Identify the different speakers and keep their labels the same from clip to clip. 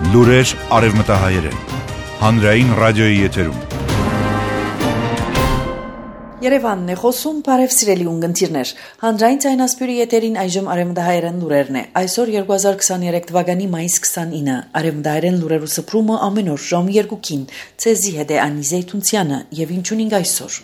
Speaker 1: Լուրեր արևմտահայերեն, հանրային ռադիոյի եթերում։
Speaker 2: Երևանն է խոսում, բարև սիրելի ունգընտիրներ։ Հանրային ցայնասպյուրի եթերին այժմ արևմտահայերեն լուրերն է։ Այսօր 2023 թվականի մայիս 29, արևմտահայերեն լուրերու սփռումը ամեն օր ժամ 2-ին։ Ցեզի հետ է Անի Զեյթունցյանը եւ ինչունինգ այսօր։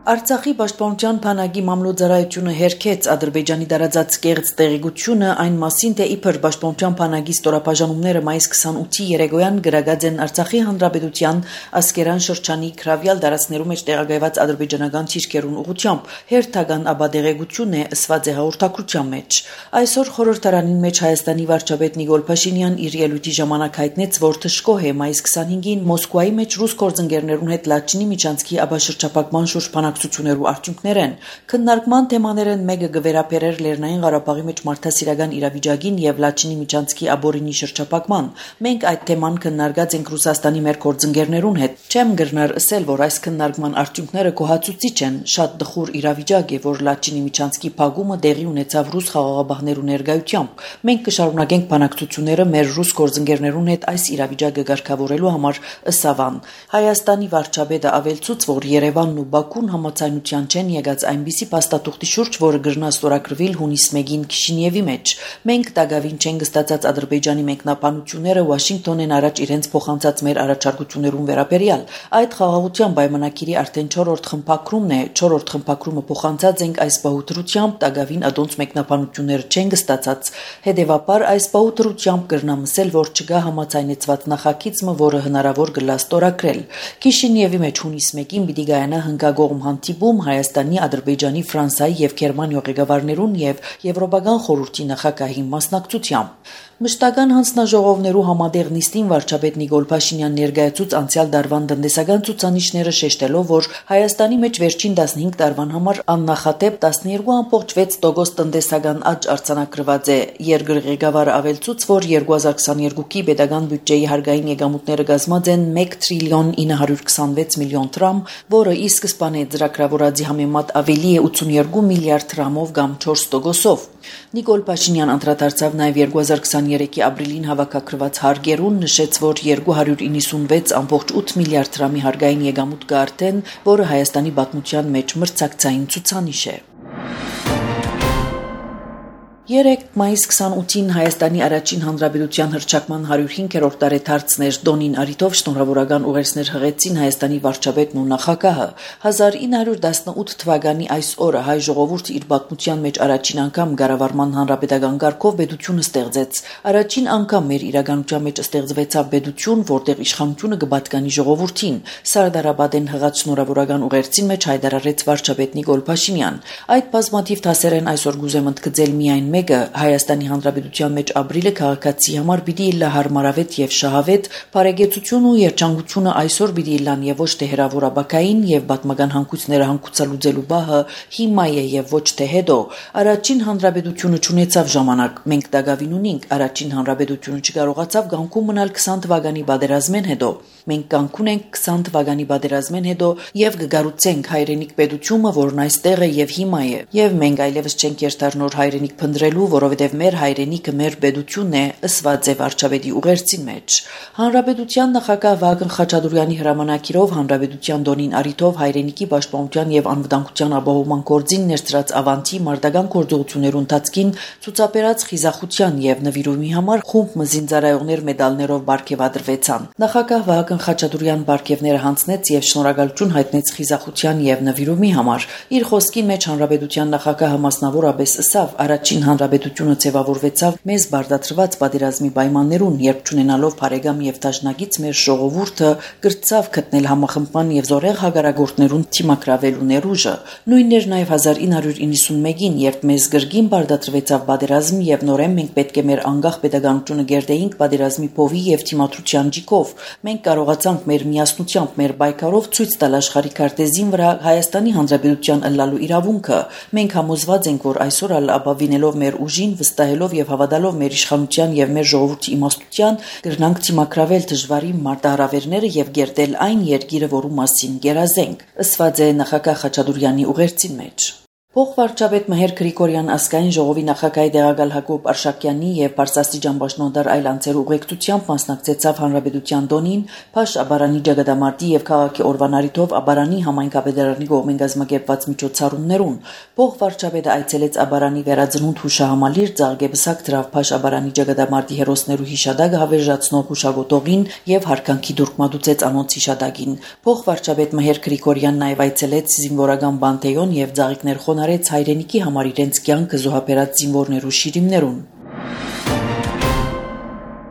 Speaker 2: Արցախի պաշտպանության բանակի մամլոյցարայությունը հերքեց Ադրբեջանի դարաձած կեղծ տեղեկությունը այն մասին, թե իբր պաշտպանության բանակի ստորաբաժանումները մայիս 28-ի երեկոյան գրագած են Արցախի հանրապետության Ասկերան շրջանի քրավյալ դարածներու մեջ տեղակայված ադրբեջանական ցիրկերուն ուղղությամբ հերթական աբադեղեցություն է ըսված է հաղորդակցության մեջ։ Այսօր խորհրդարանին մեջ Հայաստանի վարչապետ Նիկոլ Փաշինյան իր ելույթի ժամանակ հայտնեց, որ թշկոհ է մայիս 25-ին Մոսկվայի մեջ ռուս գործընկերներուն հետ Լաչինի միջանցքի աբաշրջապակման շուրջ բանակցություններու արդյունքներ են։ Քննարկման թեմաներն մեկը գվերապերեր Լեռնային Ղարաբաղի մեջ մարդասիրական իրավիճակին եւ Լաչինի միջանցքի աբորինի շրջապակման։ Մենք այդ թեման քննարկած ենք Ռուսաստանի մեր գործընկերներուն հետ։ Չեմ գրնար ասել, որ այս քննարկման արդյունքները կոհացուցիչ են։ Շատ դխուր իրավիճակ է, որ Լաչինի միջանցքի փակումը տեղի ունեցավ ռուս խաղաղաբահներու ներկայությամբ։ Մենք կշարունակենք բանակցությունները մեր ռուս գործընկերներուն հետ այս իրավիճակը ղեկավարելու համար ըսավան։ Հայաստանի վարչապետը ավելցուց, որ Երևանն ու Բաքուն համաձայնության չեն եկած այնպիսի փաստաթուղթի շուրջ, որը գրնա ստորագրվել հունիս 1-ին Քիշինևի մեջ։ Մենք տակավին չենք ստացած Ադրբեջանի մեկնաբանությունները Վաշինգտոնեն առաջ իրենց փոխանցած մեր առաջարկություններուն վերաբերյալ։ Այդ խաղաղության պայմանագիրի արդեն 4-րդ խմբակրումն է, 4-րդ խմբակրումը փոխանցած ենք այս բահուտրությամբ, տակավին ադոնց մեկնաբանությունները չենք ստացած։ Հետևաբար այս բահուտրությամբ կրնամ ասել, որ չկա համաձայնեցված նախագիծը, որը հնարավոր կլա ստորագրել։ Քիշինևի մեջ հունիս 1-ին պիտի գայանա հնգագողմ հանդիպում Հայաստանի, Ադրբեջանի, Ֆրանսիայի եւ Գերմանիա ղեկավարներուն եւ Եվրոպական խորհրդի նախագահի մասնակցությամբ։ Մշտական հանձնաժողովներու համատեղ նիստին վարչապետ Նիկոլ Փաշինյան ներկայացուց անցյալ դարվան տնտեսական ցուցանիշները շեշտելով, որ Հայաստանի մեջ վերջին 15 տարվան համար աննախադեպ 12.6% տնտեսական աճ արձանագրված է։ Երկրի ղեկավարը ավելցուց, որ 2022-ի պետական բյուջեի հարկային եկամուտները կազմած են 1 տրիլիոն 926 միլիոն դրամ, որը ի սկզբանե ծրագրավորածի համեմատ ավելի է 82 միլիարդ դրամով կամ 4%-ով։ Նիկոլ Փաշինյան անդրադարձավ նաև 2023-ի ապրիլին հավաքագրված հարկերուն, նշեց, որ 296.8 միլիարդ դրամի հարկային եկամուտ կա արդեն, որը Հայաստանի պատմության մեջ մրցակցային ցուցանիշ է։ 3 մայիս 28-ին Հայաստանի առաջին հանրապետության հռչակման 105-րդ տարեդարձներ Դոնին Արիտով շնորհավորական ուղերձներ հղեցին Հայաստանի վարչապետն ու նախագահը։ 1918 թվականի այս օրը հայ ժողովուրդը իր պատմության մեջ առաջին անգամ կառավարման հանրապետական կարգով պետությունը ստեղծեց։ Առաջին անգամ մեր իրականության մեջ ստեղծվեցավ պետություն, որտեղ իշխանությունը կպատկանի ժողովրդին։ Սարդարապետեն հղած շնորհավորական ուղերձին մեջ հայտարարեց վարչապետ Նիկոլ Փաշինյան։ Այդ բազմաթիվ դասեր են այսօր գուզեմ ընդգծել միայն մեկը Հայաստանի Հանրապետության մեջ ապրիլը քաղաքացի համար պիտի լա հարմարավետ եւ շահավետ, բարեկեցություն ու երջանկությունը այսօր պիտի լան եւ ոչ թե հերավորաբակային եւ պատմական հանգույցները հանգուցալուծելու բահը հիմա է եւ ոչ թե հետո։ Առաջին հանրապետությունը ճանաչավ ժամանակ, մենք դակավին ունենք, առաջին հանրապետությունը չկարողացավ գանկում մնալ 20 թվականի պատերազմեն հետո։ Մենք կանգուն ենք 20 թվականի պատերազմեն հետո եւ կգառուցենք հայրենիք պետությունը, որն այստեղ է եւ հիմա է։ Եվ մենք այլևս չենք երթար նոր հայրենիք փնտրելու, որովհետեւ մեր հայրենիքը մեր պետությունն է, ըսված է վարչապետի ուղերձին մեջ։ Հանրապետության նախագահ Վագն Խաչատուրյանի հրամանագիրով հանրապետության Դոնին Արիտով հայրենիքի պաշտպանության եւ անվտանգության ապահովման գործին ներծրած ավանտի մարտական գործողություններու ընթացքին ցուցաբերած խիզախության եւ նվիրումի համար խումբ մզինձարայողներ մեդալներով բարգեւադրվեցան։ Նախագահ Վագն Խաչատուրյան բարգեւները հանձնեց եւ շնորհակալություն հայտնեց խիզախության եւ նվիրումի համար։ Իր խոսքի մեջ հանրապետության նախագահը մասնավորապես ասավ, առաջին հանրապետությունը ձևավորվեցավ մեզ բարդացրված պատերազմի պայմաններուն, երբ ճանենալով բարեկամ եւ դաշնակից մեր ժողովուրդը կրծավ գտնել համախմբման եւ զորեղ հագարագործներուն թիմակրավելու ներուժը։ Նույնն էր նաեւ 1991-ին, երբ մեզ գրգին բարդացրվեցավ պատերազմ եւ նորեն մենք պետք է մեր անկախ պետականությունը գերդեինք պատերազմի փովի եւ թիմադրության ջիկով։ Մենք կարողացանք մեր միասնությամբ, մեր պայքարով ցույց տալ աշխարհի քարտեզին վրա Հայաստանի Հանրապետության ըլլալու իրավունքը։ Մենք համոզված ենք, որ այսօր ապավինելով մեր ուժին, վստահելով եւ հավատալով մեր իշխանության եւ մեր ժողովրդի իմաստության, կրնանք թիմակրավել դժվարի մարտահրավերները եւ գերտել այն երկիրը, որու մասին գերազենք, ըսված է նախագահ Խաչատուրյանի ուղերձին մեջ։ Փոխվարչապետ Մհեր Գրիգորյան ազգային ժողովի նախագահի տեղակալ Հակոբ Արշակյանի եւ Պարսաստիճան Բաշնոդար այլ անձեր ուղեկցությամբ մասնակցեցավ Հանրապետության տոնին, Փաշ Աբարանի Ջագադամարտի եւ քաղաքի օրվան առիթով Աբարանի համայնքապետարանի կողմեն կազմակերպված միջոցառումներուն։ Փոխվարչապետը այցելեց Աբարանի վերածնունդ հուշահամալիր, Ձաղգեբսակ դրավ Փաշ Աբարանի Ջագադամարտի հերոսներու հիշադակը հավերժացնող հուշագոտողին եւ հարկանքի դուրք մատուցեց անոնց հիշադակին։ Փոխվարչապետ Մհեր Գրիգորյան նաեւ այցելեց զինվորական բանտեոն եւ Ձաղիկներ խոնարհեց հայրենիքի համար իրենց կյանքը զոհաբերած զինվորներու շիրիմներուն։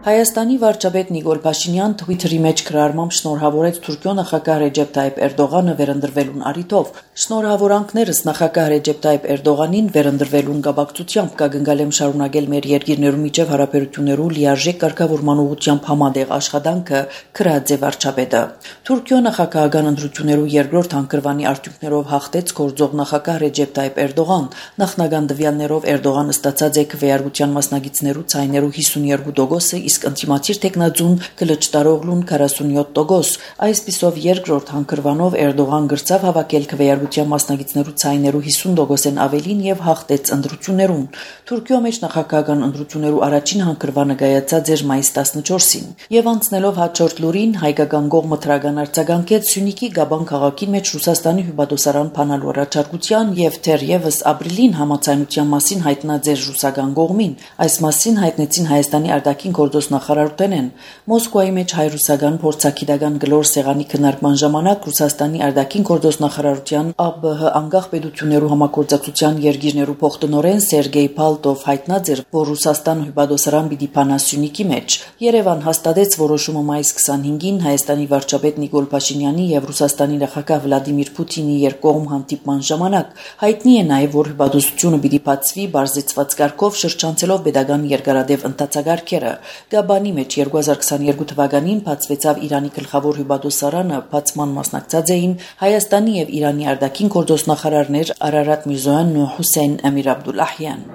Speaker 2: Հայաստանի վարչապետ Նիկոլ Փաշինյան Twitter-ի մեջ գրառմամբ շնորհավորեց Թուրքիո նախագահ Ռեջեփ Թայիփ Էրդողանը վերընտրվելուն առիթով։ Շնորհավորանքներս նախագահ Ռեջեփ Թայիփ Էրդողանին վերընտրվելուն կապակցությամբ կգնգալեմ շարունակել մեր երկիրներու միջև հարաբերություններու լիարժեք կարգավորման ուղղությամբ համատեղ աշխատանքը, գրած է վարչապետը։ Թուրքիո նախագահական ընտրություններու երկրորդ հանգրվանի արդյունքներով հաղթեց գործող նախագահ Ռեջեփ Թայիփ Էրդողան։ Նախնական տվյալներով Էրդողանը ստացած է քվեարկության մասնագետներու ցայներու 52%, իսկ ընտիմացիր տեխնաձուն կլճտարողլուն 47%։ Այսպիսով երկրորդ հանգրվանով Էրդողան գրծավ հավաքել քվեարկության մասնագետներու ցայներու 50%-ն ավելին եւ հաղթեց ընտրություններուն։ Թուրքիո մեջ նախագահական ընտրություններու առաջին հանգրվանը կայացած էր մայիս 14-ին։ Եվ անցնելով հաջորդ լուրին, հայկական կողմը թրական արձագանքեց Սյունիքի Գաբան քաղաքի մեջ Ռուսաստանի հյուպատոսարան փանալու առաջարկության եւ թերևս ապրիլին համաձայնության մասին հայտնած էր ռուսական կողմին։ Այս մասին հայտնեցին Հայաստանի արտաքին գործոստնախարարութենեն։ Մոսկվայի մեջ հայ-ռուսական փորձագիտական գլոր սեղանի քննարկման ժամանակ Ռուսաստանի արտաքին գործոստնախարարության ԱԲՀ անկախ պետություններու համագործակցության երկիրներու փոխտնօրեն Սերգեյ Պալտով հայտնած էր, որ Ռուսաստան հյուպատոսարան պիտի փանա Սյունիքի մեջ։ Երևան հաստատեց որոշումը մայիս 25-ին Հայաստանի վարչապետ Նիկոլ Փաշինյանի եւ Ռուսաստանի նախագահ Վլադիմիր Պուտինի երկկողմ հանդիպման ժամանակ։ Հայտնի է նաեւ, որ հյուպատոսությունը պիտի բացվի բարձեցված կարգով շրջանցելով pedagogan երկարադեպ ընթացագարկերը։ Գաբանի մեջ 2022 թվականին բացվեցավ Իրանի գլխավոր հյուպատոսարանը, բացման մասնակցած էին Հայաստանի եւ Իրանի արտաքին գործոստնախարարներ Արարատ Միրզոյանն ու Հուսեյն Ամիր Աբդուլլահյան։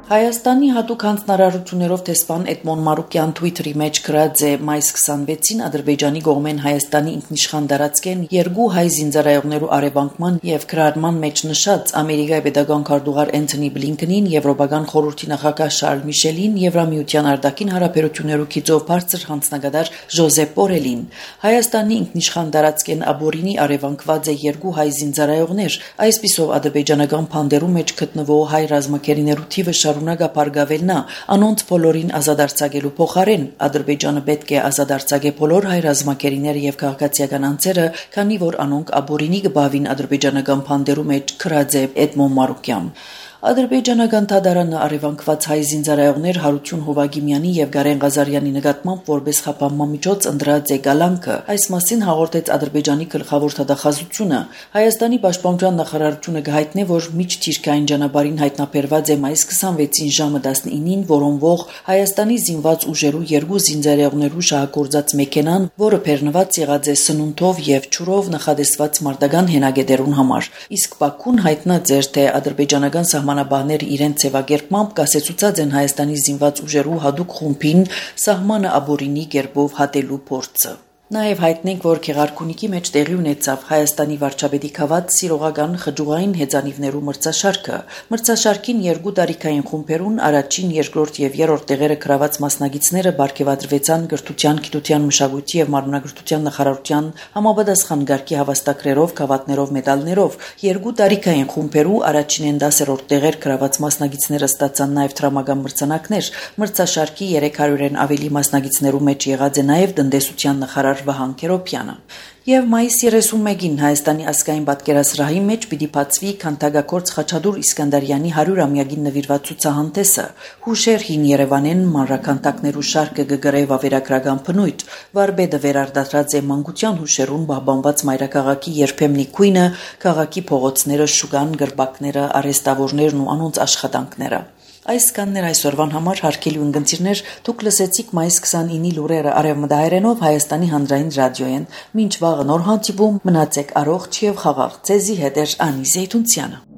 Speaker 2: Հայաստանի հատուկ հանձնարարություններով տեսփան Էդմոն Մարուկյան Twitter-ի մեջ գրած է մայիս 26-ին Ադրբեջանի կողմեն Հայաստանի ինքնիշխան տարածքեն երկու հայ զինծառայողներու արևանկման եւ քրարման մեջ նշած Ամերիկայի pedagogan քարտուղար Էնթոնի Բլինքենին, Եվրոպական խորհրդի նախագահ Շարլ Միշելին, Եվրամիության արտաքին հարաբերություններու քիծով բարձր հանձնագետար Ժոզեփ Բորելին։ Հայաստանի ինքնիշխան տարածքեն Աբորինի արևանկված է երկու հայ զինծառայողներ, այսպիսով ադրբեջանական փանդերու մեջ գտնվող հայ ռազմակերիներու թիվը շարունակապարգավելնա, անոնց բոլորին ազատարձակելու փոխարեն Ադրբեջանը պետք է ազատարձակե բոլոր հայ ռազմակերիները եւ քաղաքացիական անձերը, քանի որ անոնք Աբորինի կբավին ադրբեջանական փանդերու մեջ գրած է Էդմոն Մարուկյան։ Ադրբեջանական թադարանը արևանկված հայ զինծառայողներ Հարություն Հովագիմյանի եւ Գարեն Ղազարյանի նկատմամբ որպես խափանման միջոց ընդրած է գալանքը։ Այս մասին հաղորդեց Ադրբեջանի գլխավոր թադախազությունը։ Հայաստանի պաշտպանության նախարարությունը կհայտնի, որ միջթիրքային ճանապարհին հայտնաբերված է մայիս 26-ին ժամը 19-ին որոնվող Հայաստանի զինված ուժերու երկու զինծառայողներու շահագործած մեքենան, որը բեռնված եղած է սնունդով եւ ջուրով նախադեсված մարտական հենագետերուն համար։ Իսկ Բաքուն հայտնած էր, թե ադրբեջանական սահմանաբանները իրենց ձևակերպմամբ կասեցուցած են Հայաստանի զինված ուժերու հadoop խումբին սահմանը Աբորինի կերպով հատելու փորձը։ Նաև հայտնենք, որ Գեղարքունիքի մեջ տեղի ունեցավ Հայաստանի վարչապետի քաղաք սիրողական խճուղային հեծանիվներու մրցաշարքը։ Մրցաշարքին երկու տարիքային խումբերուն առաջին, երկրորդ եւ երրորդ տեղերը գրաված մասնագետները բարգեւադրվեցան Գրթության, Գիտության, Մշակույթի եւ Մարմնագրթության նախարարության համապատասխան գարկի հավաստագրերով, գավաթներով, մեդալներով։ Երկու տարիքային խումբերու առաջինեն 10-րդ տեղեր գրաված մասնագետները ստացան նաև դրամական մրցանակներ։ Մրցաշարքի 300-ն ավելի մասնագետներու մեջ եղած է նաև տնտեսության նախարար Վահան Քերոբյանը։ Եվ մայիս 31-ին Հայաստանի ազգային պատկերասրահի մեջ պիտի բացվի քանդակագործ Խաչատուր Իսկանդարյանի 100-ամյակին նվիրված ցուցահանդեսը։ Հուշեր հին Երևանեն մանրաքանդակներու շարքը գգրեվ ավերագրական բնույթ։ Վարպետը վերարտադրած է մանկության հուշերուն պահպանված մայրաքաղաքի երբեմնի քույնը, քաղաքի փողոցները, շուկան, գրբակները, արհեստավորներն ու անոնց աշխատանքները։ Այս կաններ այսօրվան համար հարգելի ունգընտիրներ, դուք լսեցիք մայիս 29-ի լուրերը արևմտահայերենով Հայաստանի հանրային ռադիոյեն։ Մինչ վաղը նոր հանդիպում, մնացեք առողջ եւ խաղաղ։ Ձեզի հետ է Անի Զեյթունցյանը։